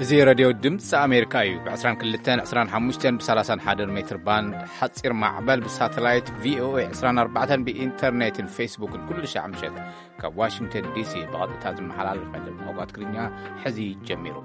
እዚ ሬድዮ ድምፂ ኣሜሪካ እዩ። ብ22፣ 25፣ ብ31 ሜትር ባንድ ሓፂር ማዕበል፣ ብሳተላይት ቪኦኤ 24፣ ብኢንተርኔትን ፌስቡክን ኩሉ ሻዕ ምሸት ካብ ዋሽንግተን ዲሲ ብቐጥታ ዝመሓላለፍ መደብ ቋንቋ ትግርኛ ሕዚ ጀሚሩ።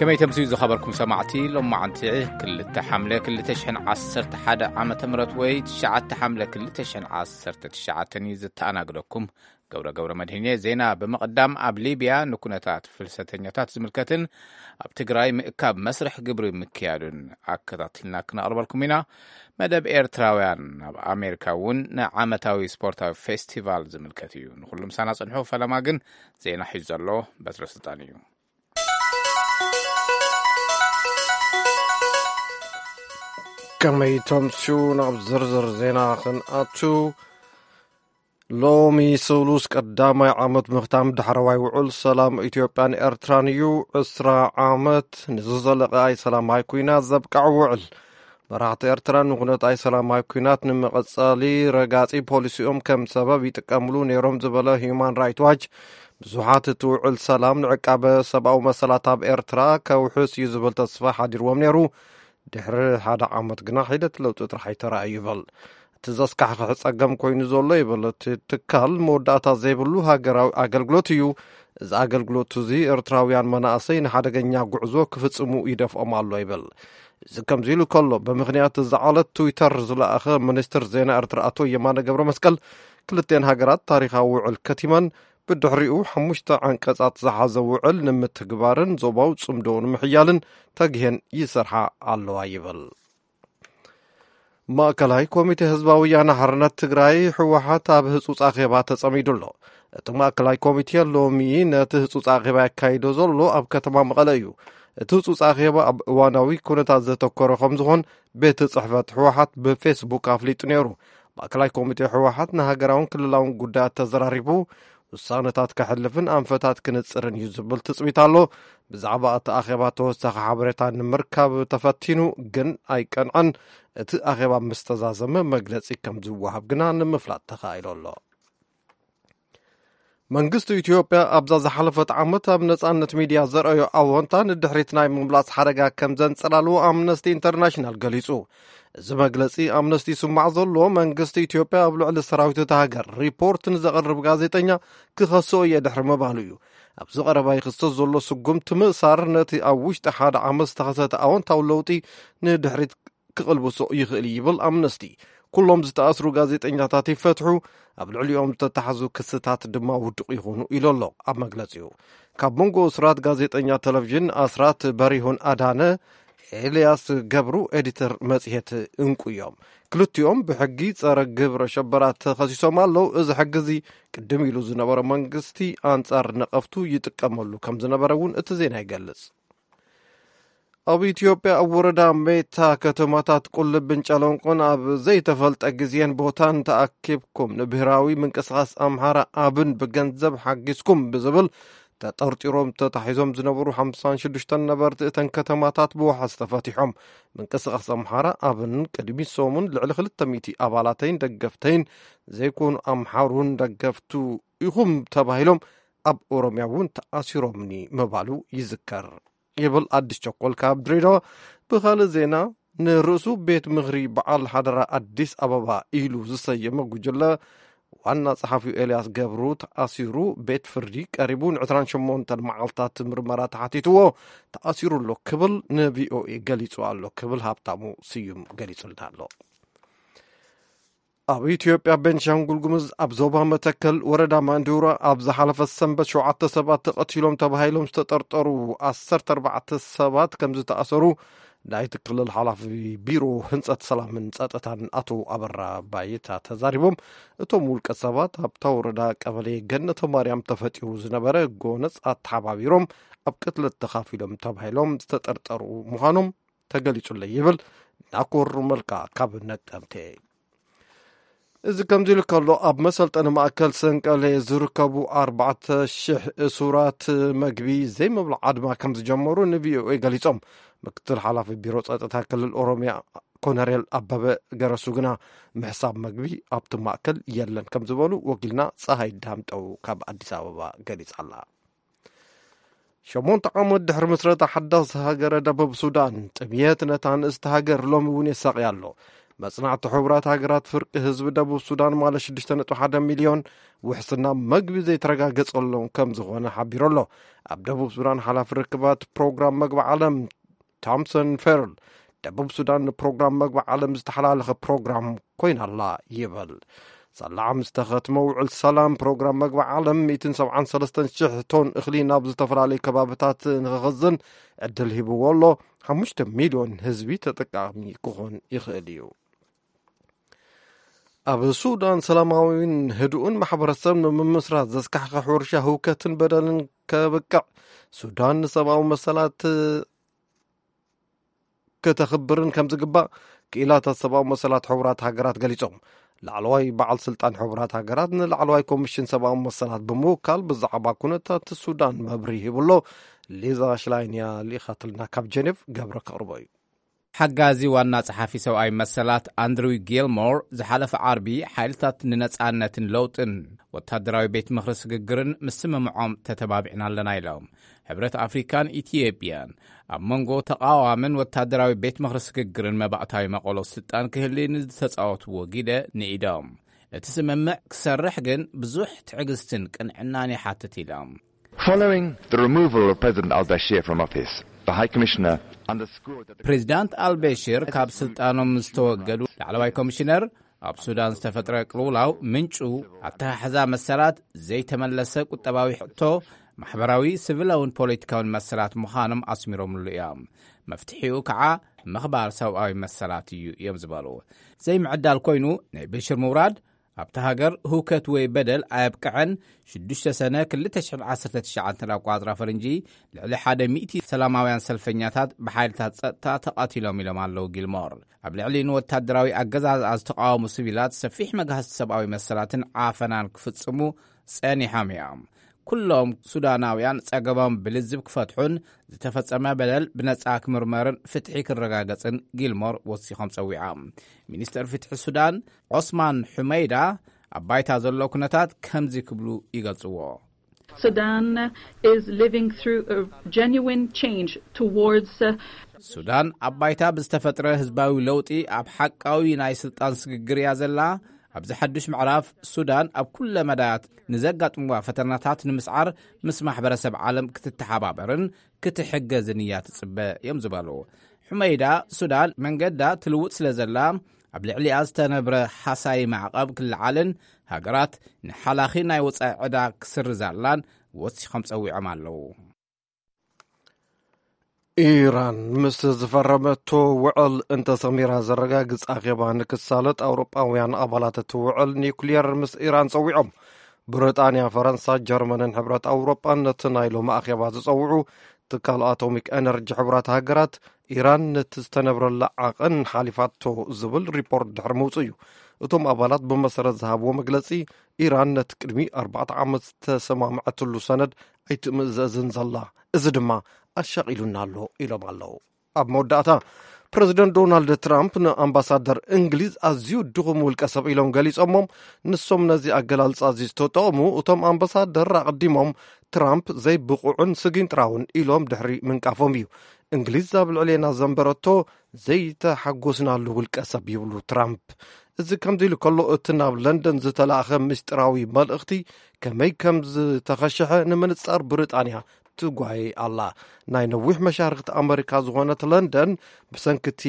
ከመይ ተምስዩ ዝኸበርኩም ሰማዕቲ፣ ሎማዓንቲ ክልተ ሓምለ ክልተ ሽሕን ዓሰርተ ሓደ ዓመተ ምህረት ወይ ትሽዓተ ሓምለ ክልተ ሽሕን ዓሰርተ ትሽዓተን እዩ ዝተኣናግደኩም። ገብረ ገብረ መድህን እየ። ዜና ብምቕዳም፣ ኣብ ሊብያ ንኩነታት ፍልሰተኛታት ዝምልከትን ኣብ ትግራይ ምእካብ መስርሕ ግብሪ ምክያዱን ኣከታትልና ክነቕርበልኩም ኢና። መደብ ኤርትራውያን ኣብ ኣሜሪካ እውን ንዓመታዊ ስፖርታዊ ፌስቲቫል ዝምልከት እዩ። ንኹሉ ምሳና ጽንሑ። ፈለማ ግን ዜና ሒዙ ዘሎ በትረ ስልጣን እዩ። ከመይ ተምስዩ? ናብ ዝርዝር ዜና ክንኣቱ፣ ሎሚ ስሉስ ቀዳማይ ዓመት ምኽታም ዳሕረዋይ ውዕል ሰላም ኢትዮጵያን ኤርትራን እዩ። ዕስራ ዓመት ንዝዘለቐ ኣይሰላማይ ኲናት ዘብቅዕ ውዕል፣ መራሕቲ ኤርትራ ንኹነት ኣይሰላማይ ኲናት ንምቕጻሊ ረጋጺ ፖሊሲኦም ከም ሰበብ ይጥቀምሉ ነይሮም ዝበለ ሂዩማን ራይት ዋች፣ ብዙሓት እቲ ውዕል ሰላም ንዕቃበ ሰብኣዊ መሰላት ኣብ ኤርትራ ከውሕስ እዩ ዝብል ተስፋ ሓዲርዎም ነይሩ። ድሕሪ ሓደ ዓመት ግና ሒደት ለውጢ ጥራሕ ኣይተራእዩ ይብል። እቲ ዘስካሕክሕ ጸገም ኮይኑ ዘሎ ይብል እቲ ትካል፣ መወዳእታ ዘይብሉ ሃገራዊ ኣገልግሎት እዩ። እዚ ኣገልግሎት እዚ ኤርትራውያን መናእሰይ ንሓደገኛ ጉዕዞ ክፍጽሙ ይደፍኦም ኣሎ ይብል። እዚ ከምዚ ኢሉ ከሎ፣ ብምኽንያት እዚ ዓለት ትዊተር ዝለኣኸ ሚኒስትር ዜና ኤርትራ ኣቶ የማነ ገብረ መስቀል፣ ክልቴን ሃገራት ታሪኻዊ ውዕል ከቲመን፣ ብድሕሪኡ ሓሙሽተ ዓንቀጻት ዝሓዘ ውዕል ንምትግባርን ዞባዊ ጽምዶ ንምሕያልን ተግሄን ይሰርሓ ኣለዋ ይብል። ማእከላይ ኮሚቴ ህዝባዊ ወያነ ሓርነት ትግራይ፣ ህወሓት፣ ኣብ ህጹጽ ኣኼባ ተጸሚዱ ኣሎ። እቲ ማእከላይ ኮሚቴ ሎሚ ነቲ ህጹጽ ኣኼባ የካይዶ ዘሎ ኣብ ከተማ መቐለ እዩ። እቲ ህጹጽ ኣኼባ ኣብ እዋናዊ ኩነታት ዘተኮረ ከም ዝኾን ቤት ጽሕፈት ህወሓት ብፌስቡክ ኣፍሊጡ ነይሩ። ማእከላይ ኮሚቴ ህወሓት ንሃገራውን ክልላውን ጉዳያት ተዘራሪቡ፣ ውሳነታት ከሕልፍን ኣንፈታት ክንጽርን እዩ ዝብል ትጽቢት ኣሎ። ብዛዕባ እቲ ኣኼባ ተወሳኺ ሓበሬታ ንምርካብ ተፈቲኑ ግን ኣይቀንዐን። እቲ ኣኼባ ምስ ተዛዘመ መግለጺ ከም ዝወሃብ ግና ንምፍላጥ ተኻኢሉ ኣሎ። መንግስቲ ኢትዮጵያ ኣብዛ ዝሓለፈት ዓመት ኣብ ነጻነት ሚድያ ዘርኣዮ ኣወንታ ንድሕሪት ናይ ምምላስ ሓደጋ ከም ዘንጸላልዎ ኣምነስቲ ኢንተርናሽናል ገሊጹ። እዚ መግለጺ ኣምነስቲ ይስማዕ ዘሎ፣ መንግስቲ ኢትዮጵያ ኣብ ልዕሊ ሰራዊት እታ ሃገር ሪፖርት ንዘቕርብ ጋዜጠኛ ክኸስኦ እየ ድሕሪ ምባሉ እዩ። ኣብዚ ቀረባ ይኽሰስ ዘሎ ስጉምቲ ምእሳር ነቲ ኣብ ውሽጢ ሓደ ዓመት ዝተኸሰተ ኣወንታዊ ለውጢ ንድሕሪት ክቕልብሶ ይኽእል እዩ ይብል ኣምነስቲ። ኩሎም ዝተኣስሩ ጋዜጠኛታት ይፈትሑ፣ ኣብ ልዕሊኦም ዝተታሕዙ ክስታት ድማ ውዱቕ ይኹኑ ኢሉ ኣሎ ኣብ መግለጺኡ። ካብ መንጎ እሱራት ጋዜጠኛ ቴሌቪዥን ኣስራት በሪሁን ኣዳነ ኤልያስ ገብሩ ኤዲተር መጽሔት እንቁ እዮም። ክልቲኦም ብሕጊ ጸረ ግብረ ሸበራ ተኸሲሶም ኣለዉ። እዚ ሕጊ እዚ ቅድም ኢሉ ዝነበረ መንግስቲ ኣንጻር ነቐፍቱ ይጥቀመሉ ከም ዝነበረ እውን እቲ ዜና ይገልጽ። ኣብ ኢትዮጵያ ኣብ ወረዳ ሜታ ከተማታት ቁልብን ጨለንቆን ኣብ ዘይተፈልጠ ግዜን ቦታን ተኣኪብኩም ንብሄራዊ ምንቅስቓስ ኣምሓራ ኣብን ብገንዘብ ሓጊዝኩም ብዝብል ተጠርጢሮም ተታሒዞም ዝነበሩ ሓምሳን ሽዱሽተን ነበርቲ እተን ከተማታት ብዋሕስ ተፈቲሖም። ምንቅስቓስ ኣምሓራ ኣብን ቅድሚ ሰሙን ልዕሊ ክልተ ሚእቲ ኣባላተይን ደገፍተይን ዘይኮኑ ኣምሓሩን ደገፍቱ ኢኹም ተባሂሎም ኣብ ኦሮምያ እውን ተኣሲሮምኒ ምባሉ ይዝከር ይብል ኣዲስ ቸኮል ካብ ድሬዳዋ። ብኻልእ ዜና፣ ንርእሱ ቤት ምኽሪ በዓል ሓደራ ኣዲስ ኣበባ ኢሉ ዝሰየመ ጉጅለ ዋና ጸሓፊ ኤልያስ ገብሩ ተኣሲሩ ቤት ፍርዲ ቀሪቡ ን28 መዓልታት ምርመራ ተሓቲትዎ ተኣሲሩ ኣሎ ክብል ንቪኦኤ ገሊጹ ኣሎ ክብል ሃብታሙ ስዩም ገሊጹልና ኣሎ። ኣብ ኢትዮጵያ ቤንሻንጉል ጉሙዝ ኣብ ዞባ መተከል ወረዳ ማንዱራ ኣብ ዝሓለፈ ሰንበት ሸውዓተ ሰባት ተቐቲሎም ተባሂሎም ዝተጠርጠሩ ዓሰርተ ኣርባዕተ ሰባት ከም ዝተኣሰሩ ናይቲ ክልል ሓላፊ ቢሮ ህንጸት ሰላምን ጸጥታን ኣቶ ኣበራ ባይታ ተዛሪቦም። እቶም ውልቀ ሰባት ኣብታ ወረዳ ቀበሌ ገነተ ማርያም ተፈጢሩ ዝነበረ ጎነጽ ኣተሓባቢሮም ኣብ ቅትለት ተኻፊሎም ተባሂሎም ዝተጠርጠሩ ምዃኖም ተገሊጹለይ ይብል ናኮር መልካ ካብ ነቀምቴ። እዚ ከምዚ ኢሉ ከሎ፣ ኣብ መሰልጠኒ ማእከል ሰንቀሌ ዝርከቡ ኣርባዕተ ሽሕ እሱራት መግቢ ዘይምብላዕ ኣድማ ከም ዝጀመሩ ንቪኦኤ ገሊጾም። ምክትል ሓላፊ ቢሮ ጸጥታ ክልል ኦሮምያ ኮነሬል ኣበበ ገረሱ ግና ምሕሳብ መግቢ ኣብቲ ማእከል የለን ከም ዝበሉ ወኪልና ፀሃይ ዳምጠው ካብ ኣዲስ ኣበባ ገሊጻ ኣላ። ሸሞንተ ዓመት ድሕሪ ምስረታ ሓዳስ ሃገረ ደቡብ ሱዳን፣ ጥምየት ነታ ንእስቲ ሃገር ሎሚ እውን የሳቕያ ኣሎ። መጽናዕቲ ሕቡራት ሃገራት ፍርቂ ህዝቢ ደቡብ ሱዳን ማለት ሽዱሽተ ነጥቢ ሓደ ሚልዮን ውሕስና መግቢ ዘይተረጋገጸሎም ከም ዝኾነ ሓቢሩ ኣሎ። ኣብ ደቡብ ሱዳን ሓላፊ ርክባት ፕሮግራም መግቢ ዓለም ቶምሰን ፌርል፣ ደቡብ ሱዳን ንፕሮግራም መግቢ ዓለም ዝተሓላለኸ ፕሮግራም ኮይና ኣላ ይብል። ሳላ ምስ ተኸትመ ውዕል ሰላም ፕሮግራም መግቢ ዓለም ሚእትን ሰብዓን ሰለስተን ሽሕ ቶን እኽሊ ናብ ዝተፈላለዩ ከባብታት ንኽኽዝን ዕድል ሂብዎ ኣሎ። ሓሙሽተ ሚልዮን ህዝቢ ተጠቃሚ ክኾን ይኽእል እዩ። ኣብ ሱዳን ሰላማዊን ህዱእን ማሕበረሰብ ንምምስራት ዘስካሕክሕ ሕርሻ ህውከትን በደልን ከብቅዕ ሱዳን ንሰብኣዊ መሰላት ከተኽብርን ከም ዝግባእ ክኢላታት ሰብኣዊ መሰላት ሕቡራት ሃገራት ገሊጾም። ላዕለዋይ በዓል ስልጣን ሕቡራት ሃገራት ንላዕለዋይ ኮሚሽን ሰብኣዊ መሰላት ብምውካል ብዛዕባ ኩነታት ሱዳን መብርሂ ሂብሎ። ሊዛ ሽላይን እያ ልኢኻትልና ካብ ጀኔቭ፣ ገብረ ከቕርቦ እዩ። ሓጋዚ ዋና ጸሓፊ ሰብኣዊ መሰላት ኣንድሪው ጊልሞር ዝሓለፈ ዓርቢ ሓይልታት ንነጻነትን ለውጥን ወታደራዊ ቤት ምኽሪ ስግግርን ምስምምዖም ተተባቢዕና ኣለና ኢሎም። ሕብረት ኣፍሪካን ኢትዮጵያን ኣብ መንጎ ተቓዋምን ወታደራዊ ቤት ምኽሪ ስግግርን መባእታዊ መቐሎ ስልጣን ክህሊ ንዝተጻወትዎ ግደ ንኢዶም። እቲ ስምምዕ ክሰርሕ ግን ብዙሕ ትዕግስትን ቅንዕናን ይሓትት ኢሎም። Following the removal of President al-Bashir from office, the High Commissioner underscored that the ፕሬዚዳንት ኣልበሽር ካብ ስልጣኖም ዝተወገዱ ላዕለዋይ ኮሚሽነር ኣብ ሱዳን ዝተፈጥረ ቅልውላው ምንጩ ኣተሓሕዛ መሰላት፣ ዘይተመለሰ ቁጠባዊ ሕቶ፣ ማሕበራዊ፣ ስቪላውን ፖለቲካውን መሰላት ምዃኖም ኣስሚሮምሉ እዮም። መፍትሒኡ ከዓ ምኽባር ሰብኣዊ መሰላት እዩ እዮም ዝበሉ። ዘይምዕዳል ኮይኑ ናይ በሽር ምውራድ ኣብታ ሃገር ህውከት ወይ በደል ኣየብቅዐን። ሽዱሽተ ሰነ ክልተ ሽሕን ዓሰርተ ትሽዓተን ኣቋጽራ ፈረንጂ ልዕሊ ሓደ ሚእቲ ሰላማውያን ሰልፈኛታት ብሓይልታት ጸጥታ ተቐቲሎም ኢሎም ኣለዉ ጊልሞር። ኣብ ልዕሊ ንወታደራዊ ኣገዛዝኣ ዝተቓወሙ ሲቪላት ሰፊሕ መግሃስቲ ሰብኣዊ መሰላትን ዓፈናን ክፍጽሙ ጸኒሖም እዮም። ኩሎም ሱዳናውያን ጸገሞም ብልዝብ ክፈትሑን ዝተፈጸመ በደል ብነጻ ክምርመርን ፍትሒ ክረጋገጽን ጊልሞር ወሲኾም ጸዊዖም። ሚኒስተር ፍትሒ ሱዳን ዖስማን ሑመይዳ ኣብ ባይታ ዘሎ ኩነታት ከምዚ ክብሉ ይገልጽዎ። Sudan is living through a genuine change towards, uh, ሱዳን ኣብ ባይታ ብዝተፈጥረ ህዝባዊ ለውጢ ኣብ ሓቃዊ ናይ ስልጣን ስግግር እያ ዘላ። ኣብዚ ሓዱሽ ምዕራፍ ሱዳን ኣብ ኩለ መዳያት ንዘጋጥምዋ ፈተናታት ንምስዓር ምስ ማሕበረሰብ ዓለም ክትተሓባበርን ክትሕገዝን እያ ትጽበ እዮም ዝበሉ ሑመይዳ። ሱዳን መንገዳ ትልውጥ ስለ ዘላ ኣብ ልዕሊኣ ዝተነብረ ሓሳይ ማዕቐብ ክለዓልን ሃገራት ንሓላኺ ናይ ወጻኢ ዕዳ ክስርዛላን ወሲኾም ጸዊዖም ኣለዉ። ኢራን ምስ ዝፈረመቶ ውዕል እንተሰሚራ ዘረጋግጽ ኣኼባ ንክሳለጥ ኣውሮጳውያን ኣባላት እቲ ውዕል ኒውክሊየር ምስ ኢራን ጸዊዖም። ብሪጣንያ፣ ፈረንሳ፣ ጀርመንን ሕብረት ኣውሮጳን ነቲ ናይ ሎሚ ኣኼባ ዝጸውዑ ትካል ኣቶሚክ ኤነርጂ ሕቡራት ሃገራት ኢራን ነቲ ዝተነብረላ ዓቐን ሓሊፋቶ ዝብል ሪፖርት ድሕሪ ምውጽኡ እዩ። እቶም ኣባላት ብመሰረት ዝሃብዎ መግለጺ ኢራን ነቲ ቅድሚ ኣርባዕተ ዓመት ዝተሰማምዐትሉ ሰነድ ኣይትምእዘዝን ዘላ፣ እዚ ድማ ኣሻቒሉና ኣሎ ኢሎም ኣለዉ። ኣብ መወዳእታ ፕረዚደንት ዶናልድ ትራምፕ ንኣምባሳደር እንግሊዝ ኣዝዩ ድኹም ውልቀ ሰብ ኢሎም ገሊጾሞም። ንሶም ነዚ ኣገላልጻ እዚ ዝተጠቐሙ እቶም ኣምባሳደር ኣቐዲሞም ትራምፕ ዘይብቑዕን ስጊንጥራውን ኢሎም ድሕሪ ምንቃፎም እዩ። እንግሊዝ ኣብ ልዕሌና ዘንበረቶ ዘይተሓጎስናሉ ውልቀ ሰብ ይብሉ ትራምፕ። እዚ ከምዚ ኢሉ ከሎ እቲ ናብ ለንደን ዝተላእኸ ምስጢራዊ መልእኽቲ ከመይ ከም ዝተኸሸሐ ንምንጻር ብሪጣንያ ትጓየ ኣላ። ናይ ነዊሕ መሻርኽቲ ኣመሪካ ዝኾነት ለንደን ብሰንኪ እቲ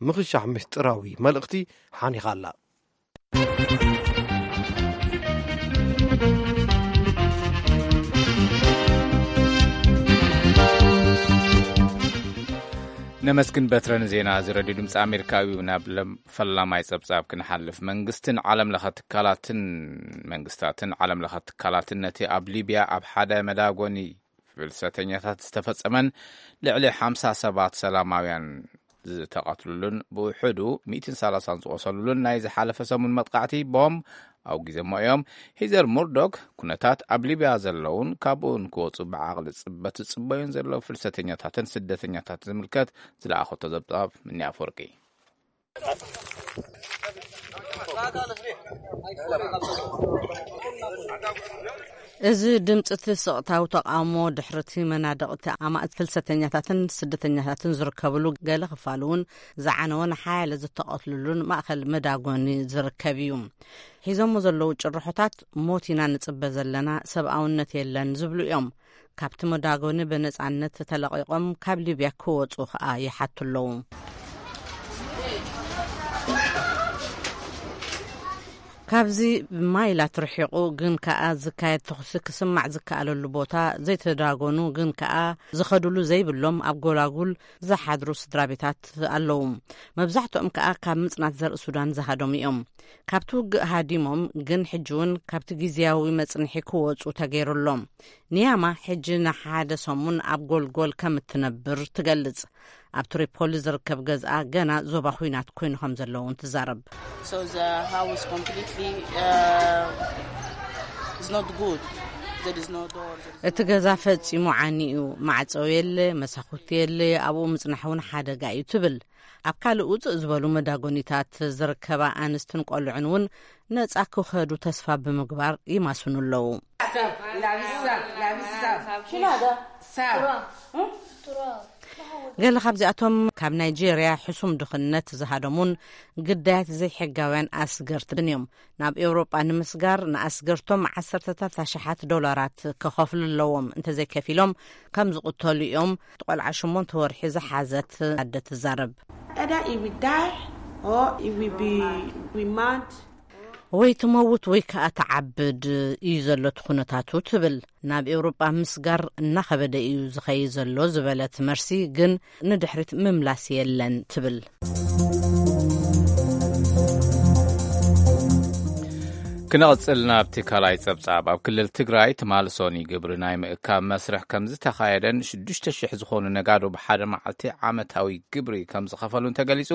ምኽሻሕ ምስጢራዊ መልእኽቲ ሓኒኻ ኣላ። ነመስግን በትረ ንዜና እዚ ረድዮ ድምፂ ኣሜሪካ እዩ። ናብ ለም-፣ ፈላማይ ፀብፃብ ክንሓልፍ፣ መንግስትን ዓለም ለኸ ትካላትን መንግስታትን ዓለም ለኸ ትካላትን ነቲ ኣብ ሊብያ ኣብ ሓደ መዳጎኒ ፍልሰተኛታት ዝተፈጸመን ልዕሊ ሓምሳ ሰባት ሰላማውያን ዝተቐትሉሉን ብውሕዱ ሚእትን ሰላሳን ዝቖሰሉሉን ናይ ዝሓለፈ ሰሙን መጥቃዕቲ ቦምብ ኣውጊዘሞ እዮም። ሂዘር ሙርዶክ ኩነታት ኣብ ሊብያ ዘለውን ካብኡ ንክወጹ ብዓቕሊ ጽበት ዝጽበዩን ዘለዉ ፍልሰተኛታትን ስደተኛታትን ዝምልከት ዝለኣኸቶ ዘብጣብ ምኒ ኣፈወርቂ። እዚ ድምፂ እቲ ስቕታዊ ተቓውሞ ድሕርቲ መናድቕቲ ኣማእት ፍልሰተኛታትን ስደተኛታትን ዝርከብሉ፣ ገለ ክፋሉ እውን ዝዓነወን ሓያለ ዝተቐትልሉን ማእኸል መዳጎኒ ዝርከብ እዩ። ሒዞሞ ዘለዉ ጭርሖታት፣ "ሞት ኢና ንጽበ ዘለና፣ ሰብኣውነት የለን" ዝብሉ እዮም። ካብቲ መዳጎኒ ብነጻነት ተለቒቖም ካብ ሊብያ ክወጹ ከኣ ይሓቱ ኣለዉ። ካብዚ ማይላት ርሒቑ ግን ከኣ ዝካየድ ተኹሲ ክስማዕ ዝከኣለሉ ቦታ ዘይተዳጎኑ ግን ከኣ ዝኸድሉ ዘይብሎም ኣብ ጎላጉል ዝሓድሩ ስድራ ቤታት ኣለዉ። መብዛሕትኦም ከኣ ካብ ምጽናት ዘርኢ ሱዳን ዝሃደሙ እዮም። ካብቲ ውግእ ሃዲሞም ግን ሕጂ እውን ካብቲ ግዝያዊ መጽንሒ ክወጹ ተገይሩሎም። ንያማ ሕጂ ንሓደ ሰሙን ኣብ ጎልጎል ከም እትነብር ትገልጽ። ኣብ ትሪፖሊ ዝርከብ ገዝኣ ገና ዞባ ኹናት ኮይኑ ከም ዘለውን ትዛረብ። So the house completely, uh, is not good. There is no door, there is እቲ ገዛ ፈጺሙ ዓኒ እዩ። ማዕጸው የለ፣ መሳኹቲ የለ፣ ኣብኡ ምጽናሕ እውን ሓደጋ እዩ ትብል። ኣብ ካልእ ውጽእ ዝበሉ መዳጎኒታት ዝርከባ ኣንስትን ቆልዑን እውን ነጻ ክኸዱ ተስፋ ብምግባር ይማስኑ ኣለዉ። ገለ ካብዚኣቶም ካብ ናይጄርያ ሕሱም ድኽነት ዝሃደሙን ግዳያት ዘይሕጋውያን ኣስገርትን እዮም። ናብ ኤውሮጳ ንምስጋር ንኣስገርቶም ዓሰርተታት ኣሽሓት ዶላራት ክኸፍሉ ኣለዎም። እንተዘይከፊሎም ከም ዝቕተሉ እዮም። ቆልዓ ሸሞንተ ወርሒ ዝሓዘት ኣደ ትዛረብ። Either he will die or he will be, be mad. ወይ ትመውት ወይ ከኣ ትዓብድ እዩ ዘሎ እቲ ኩነታቱ ትብል። ናብ ኤውሮጳ ምስጋር እናኸበደ እዩ ዝኸይድ ዘሎ ዝበለት መርሲ ግን ንድሕሪት ምምላስ የለን ትብል። ክነቕጽል ናብቲ ካልኣይ ጸብጻብ። ኣብ ክልል ትግራይ ትማሊ ሶኒ ግብሪ ናይ ምእካብ መስርሕ ከም ዝተኻየደን ሽዱሽተ ሽሕ ዝኾኑ ነጋዶ ብሓደ መዓልቲ ዓመታዊ ግብሪ ከም ዝኸፈሉን ተገሊጹ።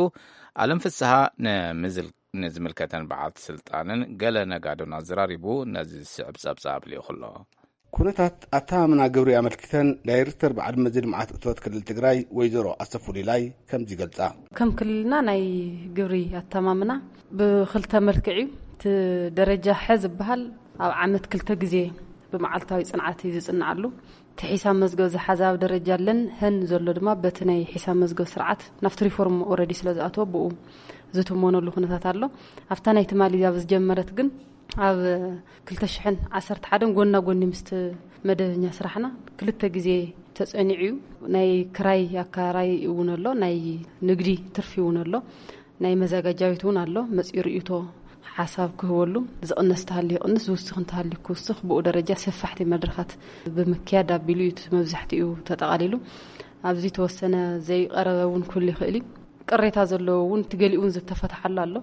ኣለም ፍስሃ ንምዝል-፣ ንዝምልከተን በዓልቲ ስልጣንን ገለ ነጋዶን ኣዘራሪቡ ነዚ ዝስዕብ ጸብጻብ ልኢኹ ኣሎ። ኩነታት ኣተኣማምና ግብሪ ኣመልኪተን ዳይሬክተር በዓል መዚ ልምዓት እቶት ክልል ትግራይ ወይዘሮ ኣሰፉ ሊላይ ከምዚ ይገልጻ። ከም ክልልና ናይ ግብሪ ኣተማምና ብኽልተ መልክዕ እዩ። እቲ ደረጃ ሐ ዝበሃል ኣብ ዓመት ክልተ ግዜ ብመዓልታዊ ጽንዓት እዩ ዝጽንዓሉ። እቲ ሒሳብ መዝገብ ዝሓዘ ኣብ ደረጃ ለን ሀን ዘሎ ድማ በቲ ናይ ሒሳብ መዝገብ ስርዓት ናብቲ ሪፎርም ኦልሬዲ ስለ ዝኣተወ ብኡ ዝትመነሉ ኩነታት ኣሎ። ኣብታ ናይ ትማሊ ኣብ ዝጀመረት ግን ኣብ ክልተ ሽሕን ዓሰርተ ሓደን ጎና ጎኒ ምስቲ መደበኛ ስራሕና ክልተ ግዜ ተጸኒዑ እዩ። ናይ ክራይ ኣከራይ እውን ኣሎ፣ ናይ ንግዲ ትርፊ እውን ኣሎ። ናይ መዘጋጃዊት እውን ኣሎ። መጺኡ ርእይቶ ሓሳብ ክህበሉ፣ ዝቕነስ እንተሃልዩ ይቕንስ፣ ዝውስኽ እንተሃልዩ ክውስኽ፣ ብኡ ደረጃ ሰፋሕቲ መድረኻት ብምክያድ ኣቢሉ እዩ እቲ መብዛሕትኡ ተጠቓሊሉ። ኣብዚ ተወሰነ ዘይቀረበ እውን ክህሉ ይኽእል እዩ። ቅሬታ ዘለዎ እውን እቲ ገሊኡ እውን ዝተፈትሓሉ ኣሎ።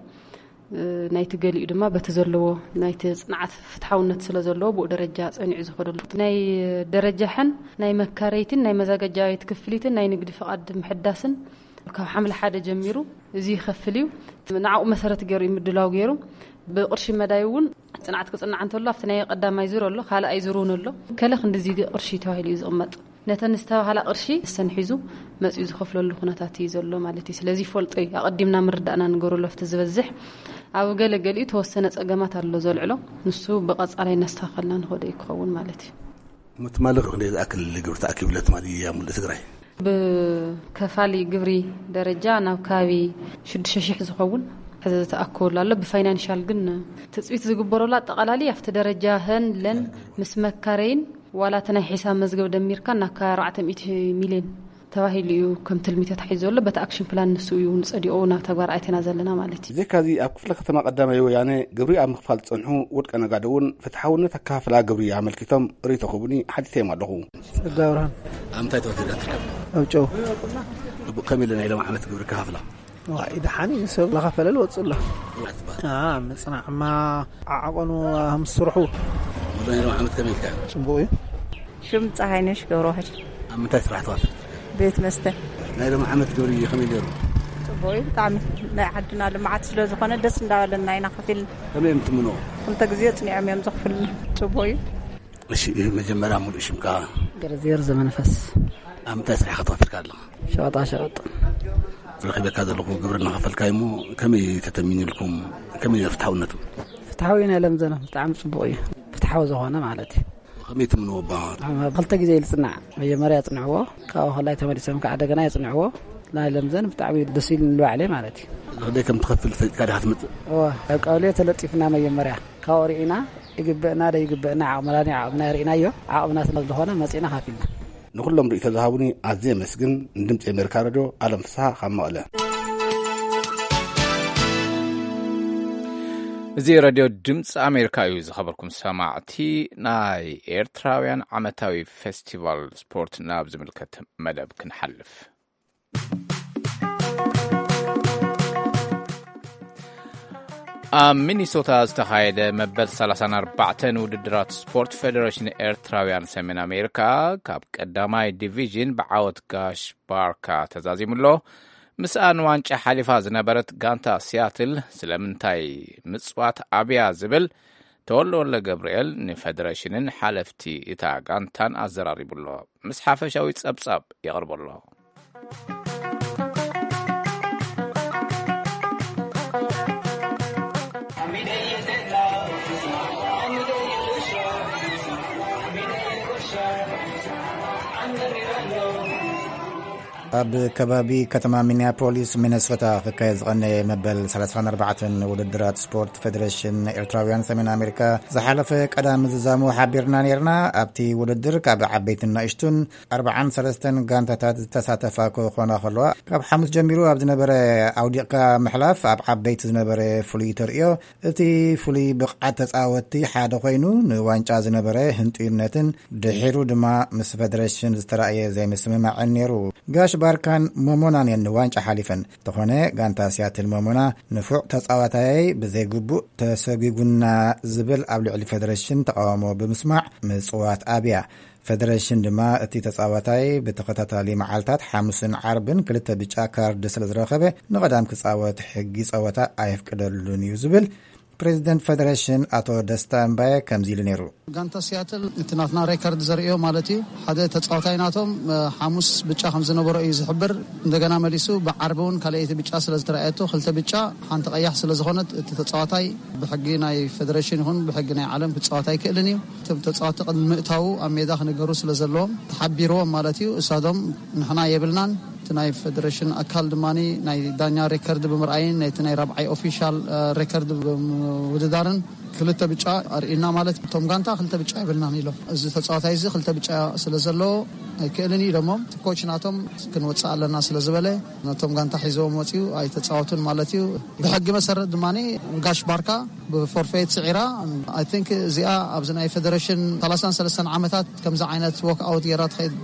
እ፣ ናይቲ ገሊኡ ድማ በቲ ዘለዎ ናይቲ ጽንዓት ፍትሓውነት ስለ ዘለዎ ብኡ ደረጃ ጸኒዑ ዝኸደሉ። ናይ ደረጃ ሐን ናይ መካረይትን ናይ መዘጋጃዊት ክፍሊትን ናይ ንግዲ ፍቓድ ምሕዳስን ካብ ሓምለ ሓደ ጀሚሩ እዚ ይኸፍል እዩ። ንዕኡ መሰረት ገይሩ እዩ ምድላው ገይሩ። ብቕርሺ መዳይ እውን ጽንዓት ክጽናዕ እንተሎ ኣብቲ ናይ ቀዳማይ ዙር ኣሎ፣ ካልኣይ ዙር እውን ኣሎ። ከለ ክንድዚ ቅርሺ ተባሂሉ እዩ ዝቕመጥ። ነተን ዝተባህላ ቅርሺ ሰን ሒዙ መጺኡ ዝኸፍለሉ ኩነታት እዩ ዘሎ ማለት እዩ። ስለዚ ይፈልጦ እዩ። ኣቐዲምና ምርዳእና ንገሩ ለፍቲ ዝበዝሕ ኣብ ገለ ገሊኡ ተወሰነ ጸገማት ኣሎ ዘልዕሎ። ንሱ ብቐጻላይ እናስተኻኸልና ንኸዶ እዩ ክኸውን ማለት እዩ። ትማሊ ክንደይ ዝኣክል ግብሪ ተኣኪቡለ ትማሊ ኣብ ሙሉእ ትግራይ? ብከፋሊ ግብሪ ደረጃ ናብ ከባቢ ሽዱሽተ ሽሕ ዝኸውን ተኣክቦሉ ኣሎ። ብፋይናንሻል ግን ትጽቢት ዝግበረሉ ኣጠቓላሊ ኣብቲ ደረጃ ሀን ለን ምስ መካረይን ዋላ እቲ ናይ ሒሳብ መዝገብ ደሚርካ ናብ ከባቢ ኣርባዕተ ሚእቲ ሚልዮን ተባሂሉ እዩ ከም ትልሚ ተታሒዙ ዘሎ። በቲ ኣክሽን ፕላን ንሱ እዩ ንጸዲቑ ናብ ተግባር ኣእቲና ዘለና ማለት እዩ። ብዘይካዚ ኣብ ክፍለ ከተማ ቀዳማይ ወያነ ግብሪ ኣብ ምኽፋል ዝጸንሑ ውልቀ ነጋዶ እውን ፍትሓውነት ኣከፋፍላ ግብሪ ኣመልኪቶም ርእይቶ ክህቡኒ ሓቲተዮም ኣለኹ። ጸጋ ብርሃን። ኣብ ምንታይ ተወዲዳ ትርከብ? ኣብ ጨው። ከመይ ኢለ ናይ ሎም ዓመት ግብሪ ከፋፍላ? ዋይ፣ ደሓን እዩ፣ ሰብ እናኸፈለ ዝወፅእ ኣሎ። አ፣ ምፅናዕማ ዓዓቆኑ ምስ ስርሑ። ወደ ናይ ሎም ዓመት ከመይ ኢልካ? ፅቡቕ እዩ። ሽም ፀሃይነሽ ገብረዋህድ። ኣብ ምንታይ ስራሕ ትዋፍር? ቤት መስተ። ናይ ሎም ዓመት ግብሪ ከመይ ገይሩ? ፅቡቕ እዩ ብጣዕሚ። ናይ ዓድና ልምዓት ስለ ዝኾነ ደስ እንዳበለና ኢና ከፊልና። ከመይ እዮም ትምንዎ? ክልተ ግዜ ፅኒዖም እዮም ዘኽፍልና። ፅቡቕ እዩ። እሺ፣ መጀመርያ ሙሉእ ሽምካ? ገረዝየር ዘመንፈስ። ኣብ ምንታይ ስራሕ ከተዋፍርካ ኣለኻ? ሸቐጣ ሸቐጥ። ረኺበካ ዘለኹ ግብሪ እናኸፈልካ እሞ ከመይ ተተሚኑልኩም? ከመይ ፍትሓውነቱ? ፍትሓዊ ናይ ለምዘነ ብጣዕሚ ጽቡቕ እዩ። ፍትሓዊ ዝኾነ ማለት እዩ። ከመይ ትምንዎ ባ? ኣብ ክልተ ግዜ ይልጽናዕ። መጀመርያ ጽንዕዎ፣ ካብኡ ከላይ ተመሊሶም ከዓ ደገና የጽንዕዎ። ናይ ለምዘን ብጣዕሚ ደስ ኢሉ ንልባዕለ ማለት እዩ። ዝኽደይ ከም ትኸፍል ፈሊጥካ ዲኻ ትመጽእ? እወ፣ ኣብ ቀበሌ ተለጢፍና መጀመርያ። ካብኡ ርኢና ይግበእና ዶ ይግበእና፣ ዓቕምና ዶ ዓቕምና ርኢናዮ። ዓቕምና ስለ ዝኾነ መጺእና ካፊልና። ንኹሎም ርእይቶ ዝሃቡኒ ኣዝየ የመስግን። ንድምፂ ኣሜሪካ ሬድዮ ኣለም ፍስሓ ካብ መቐለ። እዚ ሬድዮ ድምፂ ኣሜሪካ እዩ። ዝኸበርኩም ሰማዕቲ፣ ናይ ኤርትራውያን ዓመታዊ ፌስቲቫል ስፖርት ናብ ዝምልከት መደብ ክንሓልፍ። ኣብ ሚኒሶታ ዝተኻየደ መበል ሰላሳን ኣርባዕተን ውድድራት ስፖርት፣ ፌደሬሽን ኤርትራውያን ሰሜን ኣሜሪካ ካብ ቀዳማይ ዲቪዥን ብዓወት ጋሽ ባርካ ተዛዚሙ ኣሎ። ምስኣ ንዋንጫ ሓሊፋ ዝነበረት ጋንታ ሲያትል ስለምንታይ ምጽዋት ኣብያ ዝብል ተወልደ ወልደ ገብርኤል ንፌደሬሽንን ሓለፍቲ እታ ጋንታን ኣዘራሪቡ ኣሎ። ምስ ሓፈሻዊ ጸብጻብ የቕርቦ ኣሎ። ኣብ ከባቢ ከተማ ሚኒያፖሊስ ሚነሶታ ክካየድ ዝቐነየ መበል ሰላሳን ኣርባዕተን ውድድራት ስፖርት ፌደሬሽን ኤርትራውያን ሰሜን ኣሜሪካ ዝሓለፈ ቀዳም ዝዛሙ ሓቢርና ነይርና። ኣብቲ ውድድር ካብ ዓበይትን ንእሽቱን ኣርባዓን ሰለስተን ጋንታታት ዝተሳተፋ ክኾና ከለዋ፣ ካብ ሓሙስ ጀሚሩ ኣብ ዝነበረ ኣውዲቕካ ምሕላፍ ኣብ ዓበይቲ ዝነበረ ፍሉይ ተርእዮ፣ እቲ ፍሉይ ብቕዓት ተጻወትቲ ሓደ ኮይኑ፣ ንዋንጫ ዝነበረ ህንጡይነትን ድሒሩ ድማ ምስ ፌደሬሽን ዝተራእየ ዘይምስምማዕን ነይሩ። ጋሽ ባርካን ሞሞናን እየን ንዋንጫ ሓሊፈን። እንተኾነ፣ ጋንታ ሲያትል ሞሞና ንፉዕ ተጻዋታያይ ብዘይግቡእ ተሰጒጉና ዝብል ኣብ ልዕሊ ፌደሬሽን ተቃውሞ ብምስማዕ ምጽዋት ኣብያ። ፌደሬሽን ድማ እቲ ተጻዋታይ ብተኸታታሊ መዓልታት ሓሙስን ዓርብን ክልተ ብጫ ካርድ ስለ ዝረኸበ ንቐዳም ክጻወት ሕጊ ጸወታ ኣየፍቅደሉን እዩ ዝብል ፕሬዚደንት ፌደሬሽን ኣቶ ደስታ እምባየ ከምዚ ኢሉ ነይሩ። ጋንታ ሲያትል እቲ ናትና ሬከርድ ዘርእዮ ማለት እዩ። ሓደ ተጻዋታይ ናቶም፣ እ፣ ሓሙስ ብጫ ከም ዝነበሮ እዩ ዝሕብር። እንደገና መሊሱ ብዓርቢ እውን ካልኣይቲ ብጫ ስለ ዝተረኣየቶ፣ ክልተ ብጫ ሓንቲ ቀያሕ ስለ ዝኾነት እቲ ተጻዋታይ ብሕጊ ናይ ፌደሬሽን ይኹን ብሕጊ ናይ ዓለም ክጻወት ኣይክእልን እዩ። እቶም ተጻወትቲ ቅድሚ ምእታዉ ኣብ ሜዳ ክነገሩ ስለ ዘለዎም ተሓቢርዎም ማለት እዩ። እሳቶም ንሕና የብልናን። እቲ ናይ ፌደሬሽን ኣካል ድማ ናይ ዳኛ ሬከርድ ብምርኣይን ናይቲ ናይ ራብዓይ ኦፊሻል፣ እ፣ ሬከርድ ብምውድዳርን ክልተ ብጫ ኣርእዩና ማለት እቶም ጋንታ ክልተ ብጫ የብልናን ኢሎም። እዚ ተጻዋታይ እዚ ክልተ ብጫ ስለ ዘለዎ ኣይክእልን እዩ ኢሎሞም። እቲ ኮች ናቶም ክንወጽእ ኣለና ስለ ዝበለ ነቶም ጋንታ ሒዞም ወጺኡ ኣይተጻወቱን ማለት እዩ። ብሕጊ መሰረት ድማ ጋሽ ባርካ ብፎርፌት ስዒራ። I think እዚኣ ኣብዚ ናይ ፌደሬሽን ሰላሳን ሰለስተን ዓመታት ከምዚ ዓይነት ዎክ ኣውት ጌራ ትኸይድ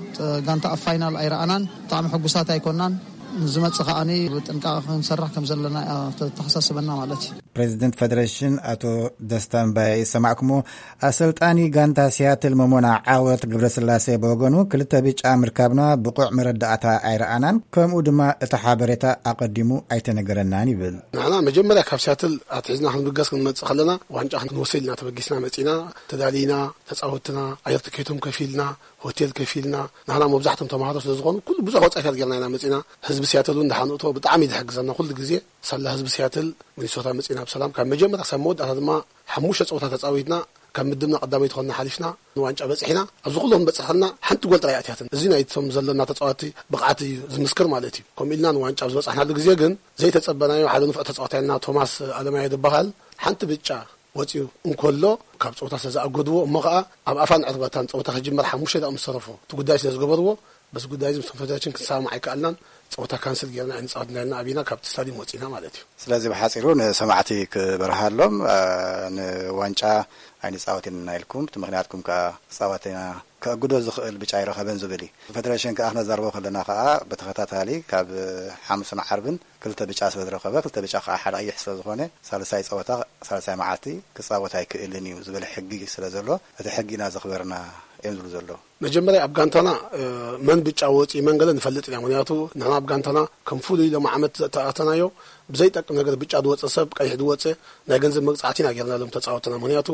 ጋንታ ኣብ ፋይናል ኣይረኣናን። ብጣዕሚ ሕጉሳት ኣይኮናን። ንዝመጽእ ከኣኒ ብጥንቃቐ ክንሰርሕ ከም ዘለና እያ ተተሓሳስበና ማለት እዩ። ፕሬዚደንት ፌደሬሽን ኣቶ ደስታ እምባየ ይሰማዕኩሞ። ኣሰልጣኒ ጋንታ ሲያትል መሞና ዓወት ገብረስላሴ ብወገኑ፣ ክልተ ብጫ ምርካብና ብቑዕ መረዳእታ ኣይረኣናን፣ ከምኡ ድማ እቲ ሓበሬታ ኣቐዲሙ ኣይተነገረናን ይብል። ንሕና መጀመርያ ካብ ሲያትል ኣትሒዝና ክንብገስ ክንመጽእ ከለና ዋንጫ ክንወስድ ኢልና ተበጊስና መጺና፣ ተዳሊና፣ ተጻወትና፣ ኣየር ትኬቶም ከፊልና፣ ሆቴል ከፊልና፣ ንሕና መብዛሕቶም ተማሃሮ ስለ ዝኾኑ ኩሉ ብዙሕ ወጻኢታት ጌርና ኢና መጺና። ህዝቢ ሲያትል እውን ደሓን እቶ ብጣዕሚ እዩ ዝሕግዘና ኩሉ ግዜ። ሳላ ህዝቢ ሲያትል ሚኒሶታ መጺና ብሰላም ካብ መጀመርያ ክሳብ መወዳእታ ድማ ሓሙሽተ ጸወታ ተጻዊትና ካብ ምድብና ቀዳመይቲ ኮይና ሓሊፍና ንዋንጫ በጺሕና። ኣብዚ ኩሉ ክንበጽሕ ከለና ሓንቲ ጎል ጥራይ ኣትያትን። እዚ ናይቶም ዘለና ተጻወትቲ ብቕዓት እዩ ዝምስክር ማለት እዩ። ከምኡ ኢልና ንዋንጫ ኣብ ዝበጻሕናሉ ግዜ ግን ዘይተጸበናዮ ሓደ ንፉዕ ተጻዋታይና ቶማስ ኣለማየ ዝበሃል ሓንቲ ብጫ ወጺኡ እንከሎ ካብ ጸወታ ስለ ዝኣገድዎ እሞ ኸኣ ኣብ ኣፋን ዕርባታን ጸወታ ክጅመር ሓሙሽተ ደቂቕ ምስ ተረፎ እቲ ጉዳይ ስለ ዝገበርዎ በዚ ጉዳይ እዚ ምስ ኮንፈደሬሽን ክንሰማማዕ ኣይከኣልናን። ጸወታ ካንስል ጌርና ኣይንጻወትን ኢልና ኣቢና ካብቲ ስታድዮም ወጺና ማለት እዩ። ስለዚ ብሓጺሩ ንሰማዕቲ ክበርሃሎም፣ እ፣ ንዋንጫ ኣይንጻወትን ኢና ኢልኩም፣ እቲ ምኽንያትኩም ከኣ ክጻወት ኢና ከእግዶ ዝኽእል ብጫ ኣይረኸበን ዝብል እዩ። ፈደረሽን ከኣ ክነዛርቦ ከለና ከኣ ብተኸታታሊ ካብ ሓሙስን ዓርብን ክልተ ብጫ ስለ ዝረኸበ፣ ክልተ ብጫ ከኣ ሓደ ቀይሕ ስለ ዝኾነ፣ ሳልሳይ ጸወታ፣ ሳልሳይ መዓልቲ ክጻወት ኣይክእልን እዩ ዝብል ሕጊ ስለ ዘሎ፣ እቲ ሕጊ ኢና ዘኽበርና እዮም ዝብሉ ዘለዉ። መጀመርያ ኣብ ጋንታና፣ እ፣ መን ብጫ ወጺ መን ገለ ንፈልጥ ኢና። ምኽንያቱ ንሕና ኣብ ጋንታና ከም ፍሉይ ሎም ዓመት ዝተኣተናዮ ብዘይጠቅም ነገር ብጫ ዝወጸ ሰብ፣ ቀይሕ ዝወጸ ናይ ገንዘብ መቅጻዕቲ ኢና ጌርናሎም ተጻወትና። ምኽንያቱ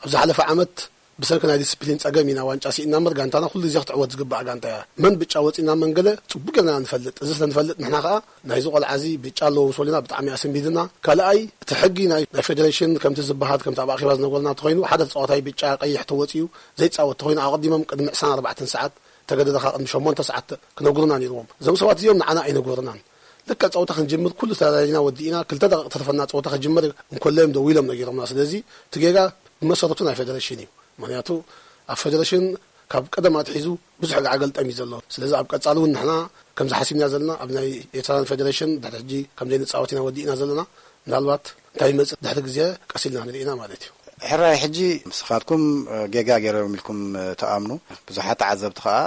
ኣብ ዝሓለፈ ዓመት ብሰንኪ ናይ ዲስፕሊን ጸገም ኢና ዋንጫ ስኢና እምበር፣ ጋንታና ኩሉ ግዜ ክትዕወት ዝግባእ ጋንታ እያ። መን ብጫ ወጺና መን ገለ ጽቡቅ ጌርና ንፈልጥ። እዚ ስለ ንፈልጥ ንሕና ከኣ ናይዚ ቆልዓ እዚ ብጫ ኣለዎ ምስ በሉና ብጣዕሚ ኣሰንቢድና። ካልኣይ፣ እቲ ሕጊ ናይ፣ ናይ ፌደሬሽን ከምቲ ዝበሃል፣ ከምቲ ኣብ ኣኼባ ዝነገሩና እንተኾይኑ፣ ሓደ ተጻዋታይ ብጫ ቀይሕ ተወጺኡ ዘይጻወት እንተኾይኑ፣ ኣቐዲሞም ቅድሚ ዕስራን ኣርባዕተን ሰዓት፣ ተገደድካ ቅድሚ ሸሞንተ ሰዓት ክነግሩና ነይርዎም። እዞም ሰባት እዚኦም ንዓና ኣይነገሩናን። ልክዕ ጸወታ ክንጅምር ኩሉ ተዳሊና ወዲእና፣ ክልተ ደቂቕ ተርፈና ጸወታ ክጅምር እንከሎ እዮም ደዊሎም ነጊሮምና። ስለዚ እቲ ጌጋ ብመሰረቱ ናይ ፌደሬሽን እዩ። ምኽንያቱ ኣብ ፌደሬሽን ካብ ቀደም ኣትሒዙ ብዙሕ ጋዕገልጠም እዩ ዘሎ። ስለዚ ኣብ ቀጻሊ እውን ንሕና ከምዚ ሓሲብና ዘለና ኣብ ናይ ኤርትራን ፌደሬሽን ድሕሪ ሕጂ ከም ዘይንጻወት ኢና ወዲእና ዘለና። ምናልባት እንታይ ይመጽእ ድሕሪ ግዜ ቀስ ኢልና ንርኢ ኢና ማለት እዩ። ሕራይ ሕጂ ንስኻትኩም ጌጋ ገይሮም ኢልኩም ትኣምኑ። ብዙሓት ተዓዘብቲ ከኣ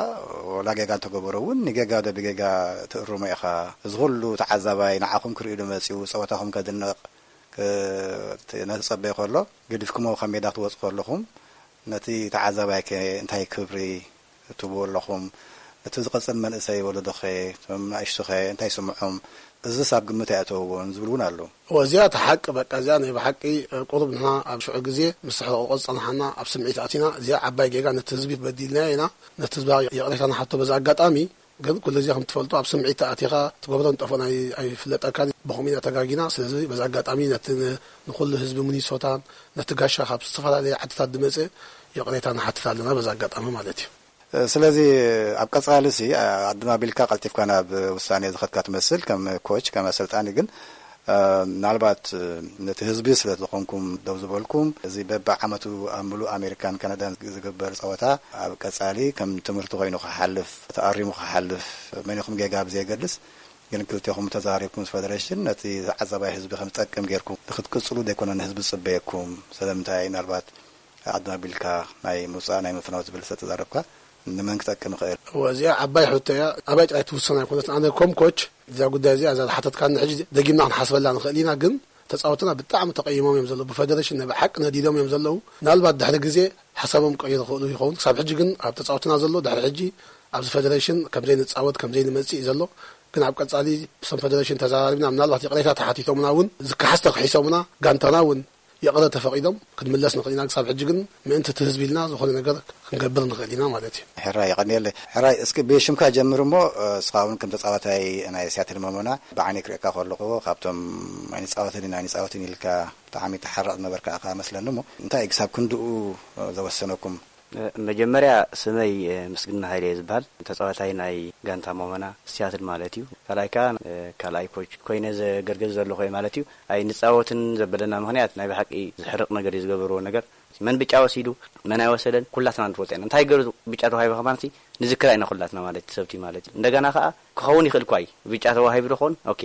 ወላ ጌጋ እንተገበሩ እውን ንጌጋ ዶ ብጌጋ ትእርሞ ኢኻ። እዚ ኩሉ ተዓዛባይ ንዓኹም ክርእዩ ዶ መጺኡ ጸወታኹም ከድንቕ ክ-፣ ነቲ ጸበየ ከሎ ገዲፍኩሞ ካብ ሜዳ ክትወጹ ከለኹም ነቲ ተዓዛባይከ እንታይ ክብሪ ትህብዎ ኣለኹም? እቲ ዝቐጽል መንእሰይ ወለዶኸ፣ እቶም ንኣሽቱኸ እንታይ ይስምዖም? እዝስ ኣብ ግምት ኣይኣተውዎን ዝብሉ እውን ኣለዉ። እወ፣ እዚኣ እቲ ሓቂ፣ በቃ፣ እዚኣ ናይ ብሓቂ፣ እ፣ ቁሩብ ንሕና ኣብ ሽዑ ግዜ ምስ ሕርቕርቆ ዝጸናሓና ኣብ ስምዒት ኣቲና፣ እዚኣ ዓባይ ጌጋ፣ ነቲ ህዝቢ በዲልናዮ ኢና፣ ነቲ ህዝቢ ይቕሬታ ንሓቶ። በዚ ኣጋጣሚ ግን ኩሉ ግዜ ከም ትፈልጦ ኣብ ስምዒት ተኣቲኻ ትገብሮ ንጠፍኦ ናይ ኣይፍለጠካን። ብኸምኡ ኢና ተጋጊና። ስለዚ በዚ ኣጋጣሚ ነቲ ን-፣ ንኹሉ ህዝቢ ሚኒሶታን ነቲ ጋሻ ካብ ዝተፈላለየ ዓድታት ዝመጸ ይቕሬታ ንሓትት ኣለና በዚ ኣጋጣሚ ማለት እዩ። ስለዚ ኣብ ቀጻሊ ሲ ኣድማ ቢልካ ቀልጢፍካ ናብ ውሳኔ ዝኸድካ ትመስል ከም ኮች፣ ከም ኣሰልጣኒ። ግን ምናልባት ነቲ ህዝቢ ስለ ዝኾንኩም ደው ዝበልኩም፣ እዚ በብዓመቱ ኣብ ምሉእ ኣሜሪካን ካናዳን ዝግበር ጸወታ ኣብ ቀጻሊ ከም ትምህርቲ ኮይኑ ክሓልፍ፣ ተኣሪሙ ክሓልፍ፣ መን ኢኹም ጌጋ ብዘየገድስ፣ ግን ክልቴኹም ተዛሪብኩም ምስ ፌደሬሽን ነቲ ተዓዛባይ ህዝቢ ከም ዝጠቅም ጌርኩም ንክትቅጽሉ ዘይኮነ ንህዝቢ ዝጽበየኩም። ስለምንታይ ምናልባት ዓድና ቢልካ ናይ ምውጻእ ናይ ምፍናው ዝብል ስለ ተዛረብካ ንመን ክጠቅም ይኽእል? እወ፣ እዚኣ ዓባይ ሕቶ እያ። ኣባይ ጥራይ ትውሰን ኣይኮነትን። ኣነ ኮም ኮች እዛ ጉዳይ እዚኣ እዛ ዝሓተትካኒ ሕጂ ደጊምና ክንሓስበላ ንኽእል ኢና፣ ግን ተጻወትና ብጣዕሚ ተቐይሞም እዮም ዘለዉ። ብፌደሬሽን ናይ ብሓቂ ነዲዶም እዮም ዘለዉ። ምናልባት ድሕሪ ግዜ ሓሳቦም ክቕይሩ ይኽእሉ ይኸውን። ክሳብ ሕጂ ግን ኣብ ተጻወትና ዘሎ ድሕሪ ሕጂ ኣብዚ ፌደሬሽን ከም ዘይንጻወት ከም ዘይንመጽእ እዩ ዘሎ። ግን ኣብ ቀጻሊ ብሰም ፌደሬሽን ተዘራሪብና ምናልባት ይቕሬታ ተሓቲቶምና እውን ዝከሓስ ተክሒሶምና ጋንታና እውን ይቕረ ተፈቒዶም ክንምለስ ንኽእል ኢና። ክሳብ ሕጂ ግን ምእንቲ እቲ ህዝቢ ኢልና ዝኾነ ነገር ክንገብር ንኽእል ኢና ማለት እዩ። ሕራይ የቐንየለይ። ሕራይ እስኪ ብሽምካ ጀምር እሞ፣ እ፣ እስኻ እውን ከም ተጻዋታይ ናይ ሲያትል መሞና ብዓይነይ ክርእየካ ከለኹ ካብቶም ኣይንጻወትን ኢና ኣይንጻወትን ኢልካ ብጣዕሚ ተሓራቕ ዝነበርካ ኢኻ መስለኒ። እሞ እንታይ እዩ ክሳብ ክንድኡ፣ እ፣ ዘወሰነኩም? እ፣ መጀመርያ ስመይ፣ እ፣ ምስግና ሃይለ እየ ዝበሃል። ተጻዋታይ ናይ ጋንታ መሞና ሲያትል ማለት እዩ። ካልኣይ ከኣ፣ እ፣ ካልኣይ ኮች ኮይነ ዘገልግል ዘለኹ እየ ማለት እዩ። ኣይንጻወትን ዘበለና ምኽንያት ናይ ብሓቂ ዘሕርቕ ነገር እዩ ዝገበርዎ ነገር። መን ብጫ ወሲዱ፣ መን ኣይወሰደን፣ ኩላትና ንፈልጦ ኢና። እንታይ ገይሩ ብጫ ተዋሂበ ከማንሲ ንዝክራ ኢና ኩላትና ማለት እዩ፣ ሰብቲ ማለት እዩ። እንደገና ከኣ ክኸውን ይኽእል እኳ እዩ። ብጫ ተዋሂቡ ዶ ክኸውን? ኦኬ።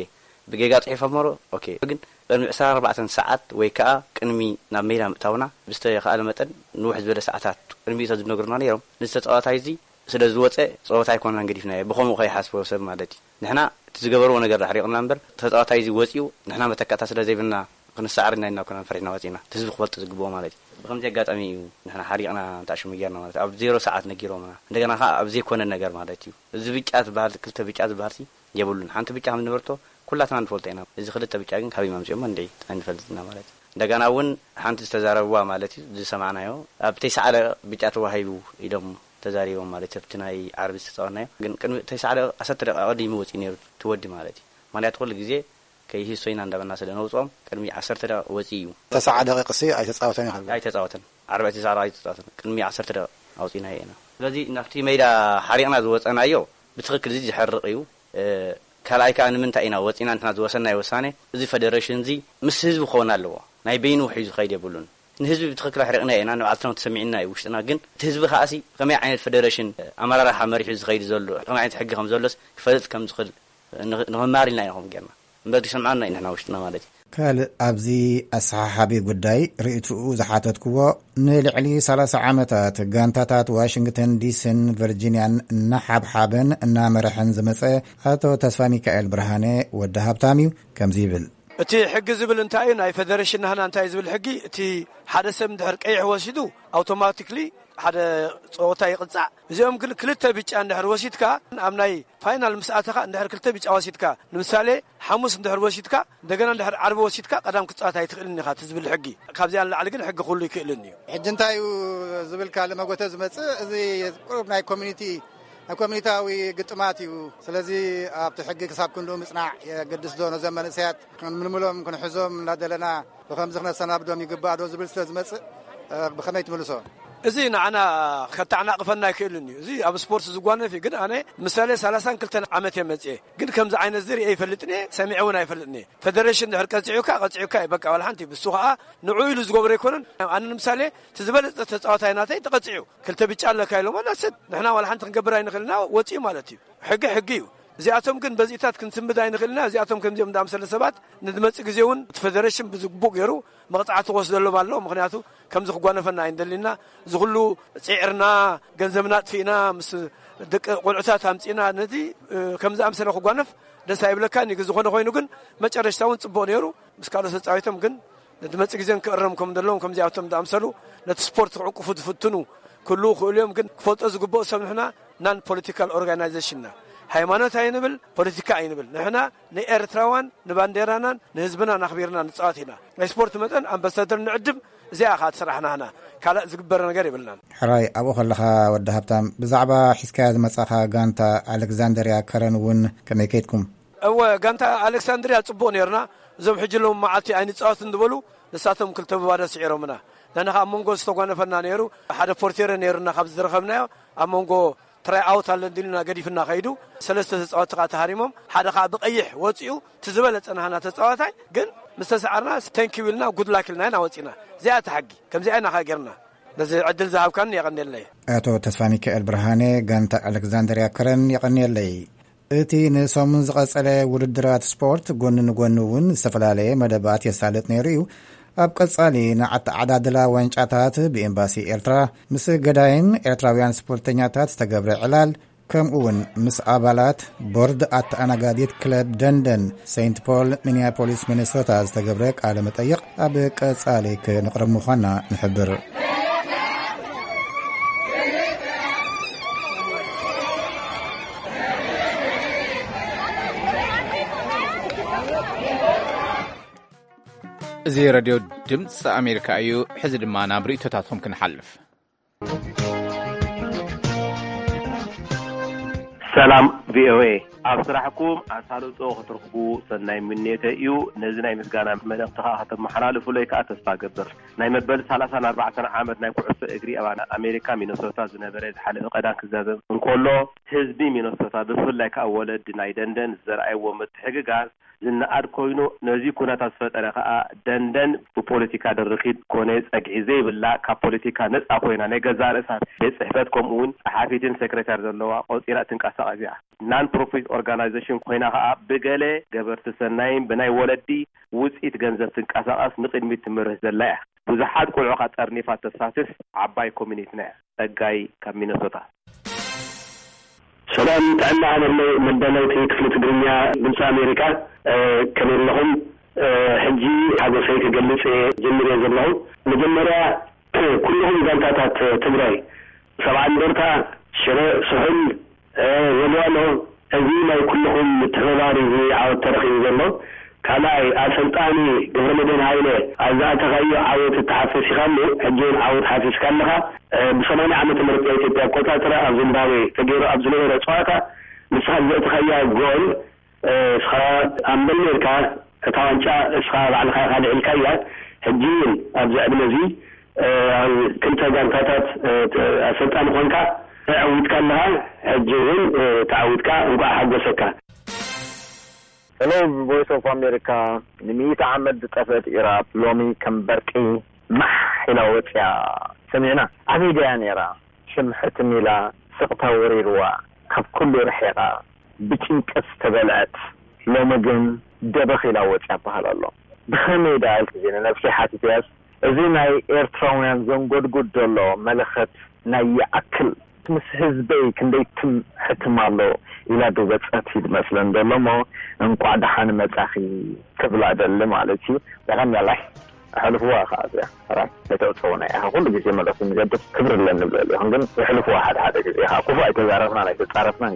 ብጌጋ ጽሒፎም እምበሩ? ኦኬ። ግን ቅድሚ ዕስራን ኣርባዕተን ሰዓት ወይ ከኣ ቅድሚ ናብ ሜዳ ምእታውና ብዝተኻእለ መጠን ንውሕ ዝበለ ሰዓታት ቅድሚኡ ተዝነግሩና ነይሮም። ነዚ ተጻዋታይ እዚ ስለ ዝወጸ ጸወታ ኣይኮነን ገዲፍናዮ። ብኸምኡ ከይሓስቦ ሰብ ማለት እዩ። ንሕና እቲ ዝገበርዎ ነገር ኣሕሪቕና እምበር፣ ተጻዋታይ እዚ ወጺኡ ንሕና መተካእታ ስለ ዘይብልና ክንሰዓር ኢና ኢልና ኣይኮናን ፈሪሕና ወጺእና። እቲ ህዝቢ ክፈልጦ ዝግብኦ ማለት እዩ። ብኸምዚ ኣጋጣሚ እዩ ንሕና ሓሪቕና እንተኣሽሙ ጌርና ማለት እዩ። ኣብ ዜሮ ሰዓት ነጊሮምና። እንደገና ከኣ ኣብ ዘይኮነ ነገር ማለት እዩ። እዚ ብጫ ዝበሃል፣ ክልተ ብጫ ዝበሃል ሲ የብሉን። ሓንቲ ብጫ ከም ዝነበረቶ ኩላትና ንፈልጦ ኢና። እዚ ክልተ ብጫ ግን ካበይ ኣምጺኦሞ እንድዒ ኣይንፈልጥን ኢና ማለት እዩ። እንደገና እውን ሓንቲ ዝተዛረብዋ ማለት እዩ፣ ዝሰማዕናዮ፣ ኣብ ተስዓ ደቂቕ ብጫ ተዋሂቡ ኢሎም ተዛሪቦም ማለት እዩ። ኣብቲ ናይ ዓርቢ ዝተጻወትናዮ ግን ቅድሚ ተስዓ ደቂቕ፣ ዓሰርተ ደቂቕ ኣቐዲሙ ወጺኡ ነይሩ እቲ ወዲ ማለት እዩ። ምኽንያቱ ኩሉ ግዜ ከይህሶ ኢና እንዳበልና ስለ ነውጽኦም ቅድሚ ዓሰርተ ደቂቕ ወጺኡ እዩ። ተስዓ ደቂቕሲ ኣይተጻወተን ኢኻ? ኣይተጻወተን። ዓርቢ ተስዓ ደቂቕ ኣይተጻወተን። ቅድሚ ዓሰርተ ደቂቕ ኣውጺእናዮ ኢና። ስለዚ ናብቲ ሜዳ ሓሪቕና ዝወጸናዮ ብትኽክል እዚ ዘሕርቕ እዩ። እ፣ ካልኣይ ከኣ ንምንታይ ኢና ወጺና ንሕና ዝወሰናዮ ውሳኔ፣ እዚ ፈደረሽን እዚ ምስ ህዝቢ ክኸውን ኣለዎ። ናይ በይኑ ውሒዙ ዝኸይድ የብሉን። ንህዝቢ ብትኽክል ኣሕሪቕናዮ ኢና፣ ንባዕልትና ተሰሚዕና እዩ ውሽጥና። ግን እቲ ህዝቢ ከኣሲ ከመይ ዓይነት ፈደረሽን፣ ኣመራርሓ መሪሑ ዝኸይድ ዘሎ፣ ከመይ ዓይነት ሕጊ ከም ዘሎስ ክፈልጥ ከም ዝኽእል ንኽ-፣ ንኽማር ኢልና ኢና ከምኡ ጌርና። እምበር ዝሰምዓና እዩ ንሕና ውሽጥና ማለት እዩ። ካልእ ኣብዚ ኣሰሓሓቢ ጉዳይ ርእይትኡ ዝሓተትክዎ፣ ንልዕሊ ሰላሳ ዓመታት ጋንታታት ዋሽንግተን ዲሲን ቨርጂንያን እናሓብሓበን እናመርሐን ዝመጸ ኣቶ ተስፋ ሚካኤል ብርሃነ ወዲ ሃብታም እዩ። ከምዚ ይብል። እቲ ሕጊ ዝብል እንታይ እዩ? ናይ ፌደሬሽን ናህና እንታይ ዝብል ሕጊ? እቲ ሓደ ሰብ እንድሕር ቀይሕ ወሲዱ ኣውቶማቲክሊ ሓደ ጸወታ ይቕጻዕ። እዚኦም ግን ክልተ ብጫ እንድሕር ወሲድካ፣ ኣብ ናይ ፋይናል ምስ ኣተኻ እንድሕር ክልተ ብጫ ወሲድካ፣ ንምሳሌ ሓሙስ እንድሕር ወሲድካ፣ እንደገና እንድሕር ዓርቢ ወሲድካ ቀዳም ክትጻወት ኣይትኽእልን ኢኻ፣ እቲ ዝብል ሕጊ። ካብዚኣ ንላዕሊ ግን ሕጊ ኩሉ ይክእልን እዩ። ሕጂ እንታይ እዩ ዝብልካ ለመጎተ ዝመጽእ? እዚ ቁሩብ ናይ ኮሚኒቲ ናይ ኮሚኒታዊ ግጥማት እዩ። ስለዚ ኣብቲ ሕጊ ክሳብ ክንድኡ ምጽናዕ የገድስ ዶ? ነዞም መንእሰያት ክንምልምሎም ክንሕዞም እናደለና ብኸምዚ ክነሰናብዶም ይግባእ ዶ ዝብል ስለ ዝመጽእ፣ እ፣ ብኸመይ ትምልሶ? እዚ ንዓና ከተዓናቕፈና ኣይክእልን እዩ። እዚ ኣብ ስፖርት ዝጓነፍ እዩ። ግን ኣነ ምሳሌ ሰላሳን ክልተን ዓመት እየ መጽኤ። ግን ከምዚ ዓይነት እዚ ርእየ ኣይፈልጥን እየ፣ ሰሚዐ እውን ኣይፈልጥን እየ። ፌደሬሽን ድሕር ቀጺዑካ፣ ቀጺዑካ እዩ በቃ። ዋላ ሓንቲ ብሱ ኸኣ ንዑ ኢሉ ዝገብሮ ኣይኮነን። ኣነ ንምሳሌ እቲ ዝበለጸ ተጻዋታይ ናተይ ተቐጺዑ። ክልተ ብጫ ኣለካ ኢሎሞ፣ that's it። ንሕና ዋላ ሓንቲ ክንገብር ኣይንኽእልና፣ ወጺኡ ማለት እዩ። ሕጊ ሕጊ እዩ። እዚኣቶም ግን በዚእታት ክንስምድ ኣይንኽእልና። እዚኣቶም ከምዚኦም ዝኣምሰለ ሰባት ንዝመጽእ ግዜ እውን እቲ ፌደሬሽን ብዝግቡእ ገይሩ መቕጻዕቲ ክወስደሎም ኣሎ። ምኽንያቱ ከምዚ ክጓነፈና ኣይንደሊና። እዚ ኩሉ ጽዒርና፣ ገንዘብና ኣጥፊእና፣ ምስ ደቂ ቆልዑታት ኣምጺእና፣ ነዚ፣ እ፣ ከም ዝኣምሰለ ክጓነፍ ደስ ኣይብለካን እዩ። ግን ዝኾነ ኮይኑ ግን መጨረሽታ እውን ጽቡቕ ነይሩ። ምስ ካልኦት ተጻዊቶም ግን ንዝመጽእ ግዜ ክእረም ከም ዘለዎም፣ ከምዚኣቶም ዝኣምሰሉ ነቲ ስፖርት ክዕቁፉ ዝፍትኑ ክህልዉ ክእሉ እዮም። ግን ክፈልጦ ዝግብኦ ሰብ ንሕና ናን ፖለቲካል ኦርጋናይዜሽንና ሃይማኖት ኣይንብል፣ ፖለቲካ ኣይንብል። ንሕና ንኤርትራዋን ንባንዴራናን ንህዝብናን ኣኽቢርና ንጻወት ኢና። ናይ ስፖርት መጠን ኣምባሳደር ንዕድም፣ እዚኣ ኸኣ ትስራሕ ናህና። ካልእ ዝግበር ነገር የብልናን። ሕራይ፣ ኣብኡ ከለኻ ወዲ ሃብታም፣ ብዛዕባ ሒዝካያ ዝመጻኻ ጋንታ ኣሌክዛንደርያ ከረን እውን ከመይ ከይድኩም? እወ፣ ጋንታ ኣሌክሳንድርያ ጽቡቕ ነይርና። እዞም ሕጂ ሎም መዓልቲ ኣይንጻወትን ዝበሉ፣ ንሳቶም ክልተ ብባዶ ስዒሮምና። ንሕና ኸኣ ኣብ መንጎ ዝተጓነፈና ነይሩ። ሓደ ፖርቴረ ነይሩና፣ ካብ ዝረኸብናዮ ኣብ መንጎ ትራይ ኣውት ኣሎ እንዲሉና ገዲፍና ኸይዱ። ሰለስተ ተጻወትቲ ኸኣ ተሃሪሞም፣ ሓደ ኸኣ ብቐይሕ ወጺኡ፣ እቲ ዝበለጸ ናህና ተጻዋታይ ግን ምስ ተሰዓርና፣ ተንኪው ኢልና፣ ጉድ ላክ ኢልና ኢና ወጺና። እዚኣ እቲ ሓጊ። ከምዚኣ ኢና ኸኣ ጌርና። ነዚ ዕድል ዝሃብካኒ የቐንየለይ። ኣቶ ተስፋ ሚካኤል ብርሃነ፣ ጋንታ ኣሌክዛንደርያ ከረን፣ የቐንየለይ። እቲ ንሰሙን ዝቐጸለ ውድድራት ስፖርት ጎኒ ንጎኒ እውን ዝተፈላለየ መደባት የሳልጥ ነይሩ እዩ። ኣብ ቀጻሊ ንኣተዓዳድላ ዋንጫታት ብኤምባሲ ኤርትራ፣ ምስ ገዳይም ኤርትራውያን ስፖርተኛታት ዝተገብረ ዕላል፣ ከምኡ እውን ምስ ኣባላት ቦርድ ኣተኣናጋዲት ክለብ ደንደን ሴንት ፖል ሚኒያፖሊስ ሚኒሶታ ዝተገብረ ቃለ መጠይቕ ኣብ ቀጻሊ ክንቕርብ ምዃንና ንሕብር። እዚ ሬድዮ ድምፂ ኣሜሪካ እዩ። ሕዚ ድማ ናብ ርእይቶታትኩም ክንሓልፍ። ሰላም ቪኦኤ፣ ኣብ ስራሕኩም ኣሳልጦ ክትረኽቡ ሰናይ ምንየተ እዩ። ነዚ ናይ ምስጋና መልእኽቲ ከዓ ከተመሓላልፉለይ ከዓ ተስፋ ገብር። ናይ መበል ሰላሳን ኣርባዕተን ዓመት ናይ ኩዕሶ እግሪ ኣብ ኣሜሪካ ሚነሶታ ዝነበረ ዝሓለፈ ቀዳም ክዛዘም እንከሎ፣ ህዝቢ ሚነሶታ ብፍላይ ከዓ ወለዲ ናይ ደንደን ዘርኣይዎ ምትሕግጋዝ ዝነኣድ ኮይኑ፣ ነዚ ኩነታት ዝፈጠረ ከዓ ደንደን ብፖለቲካ ድርኺት ኮነ ጸግዒ ዘይብላ፣ ካብ ፖለቲካ ነጻ ኮይና ናይ ገዛእ ርእሳ ቤት ጽሕፈት ከምኡ እውን ጸሓፊትን ሴክሬታሪ ዘለዋ ቆጺራ እትንቀሳቐስ እያ። ናን ፕሮፊት ኦርጋናይዜሽን ኮይና ከዓ ብገለ ገበርቲ ሰናይን ብናይ ወለዲ ውጽኢት ገንዘብ ትንቀሳቐስ ንቕድሚት ትምርህ ዘላ እያ። ብዙሓት ቆልዑ ከዓ ጠርኒፋ ተሳትፍ ዓባይ ኮሚኒቲና እያ። ጸጋይ ካብ ሚነሶታ። ሰላም ጥዕና ሃበለይ መዳለውቲ ክፍሊ ትግርኛ ድምፂ ኣሜሪካ፣ እ፣ ከመይ ኣለኹም? እ፣ ሕጂ ሓጎሰይ ክገልጽ እየ ጀሚረ ዘለኹ። መጀመርያ ኩልኹም ጋንታታት ትግራይ፣ ሰብዓ እንደርታ፣ ሽረ፣ ስሑል፣ እ፣ ወልዋሎ፣ እዚ ናይ ኩልኹም ምትሕብባር እዩ ዓወት ተረኺቡ ዘሎ። ካልኣይ፣ ኣሰልጣኒ ገብረመድህን ሃይለ፣ ኣብ ዝኣተኻዮ ዓወት እተሓፈስ ኢኻ እሞ፣ ሕጂ እውን ዓወት ሓፊስካ ኣለኻ። እ፣ ብሰማንያ ዓመተ ምህረት ናይ ኢትዮጵያ ኣቆጻጽራ ኣብ ዚምባብዌ ተገይሩ ኣብ ዝነበረ ጸዋታ፣ ንስኻ ዘእተኻያ ጎል፣ እ፣ እስኻ ኣምበል ነርካ፣ እታ ዋንጫ እስኻ ባዕልኻ ኢኻ ልዒልካያ። ሕጂ እውን ኣብዚ ዕድመ እዚ፣ እ፣ ኣብ ክልተ ጋንታታት፣ እ፣ ት-፣ ኣሰልጣኒ ኮንካ ተዓዊትካ ኣለኻ። ሕጂ እውን፣ እ፣ ተዓዊትካ፣ እንቋዕ ሓጎሰካ። ሄሎ፣ ቮይስ ኦፍ ኣሜሪካ። ንሚእቲ ዓመት ዝጠፍአት ኢራብ ሎሚ ከም በርቂ ማሕ ኢላ ወፅያ ሰሚዕና። ኣበይ ድያ ነይራ? ሽም ሕትም ኢላ፣ ስቕታ ወሪርዋ፣ ካብ ኩሉ ርሒቓ፣ ብጭንቀት ዝተበልዐት፣ ሎሚ ግን ደበኽ ኢላ ወፅያ በሃል ኣሎ። ብኸመይ ደኣ ኢልኪ ንነብሲ ሓቲትያስ፣ እዚ ናይ ኤርትራውያን ዘንጎድጉድ ዘሎ መለኸት ናይ ይኣክል። ምስ ህዝበይ ክንደይ ትም ሕትም ኣሎ፣ ኢላ ዶ በጸት ይመስለን ዘሎ እሞ፣ እንቋዕ ደሓን መጻኺ ክብላ ደሊ ማለት እዩ። ደኸም ያላይ፣ ኣሕልፍዋ ኸዓ እዚኣ። ሕራይ፣ ኣይተውጽውና ኢኻ። ኩሉ ግዜ መልእኽቲ ንገድፍ፣ ክብሪ ኣለኒ ንብለሉ ኢኹም፣ ግን የሕልፍዋ ሓደ ሓደ ግዜ። ኢኻ ክፉእ ኣይተዛረብናን ኣይተጻረፍናን።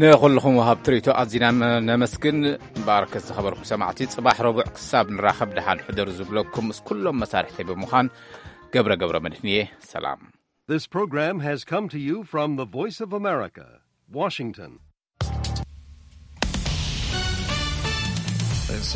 ንኹልኹም ወሃብ ትርኢቶ ኣዚና ነመስግን። እምበኣርከስ ዝኸበርኩም ሰማዕቲ፣ ጽባሕ ረቡዕ ክሳብ ንራኸብ ደሓን ሕደሩ ዝብለኩም ምስ ኩሎም መሳርሕተይ ብምዃን ገብረ ገብረ መድህን እየ። ሰላም። This program has come to you from the Voice of America, Washington.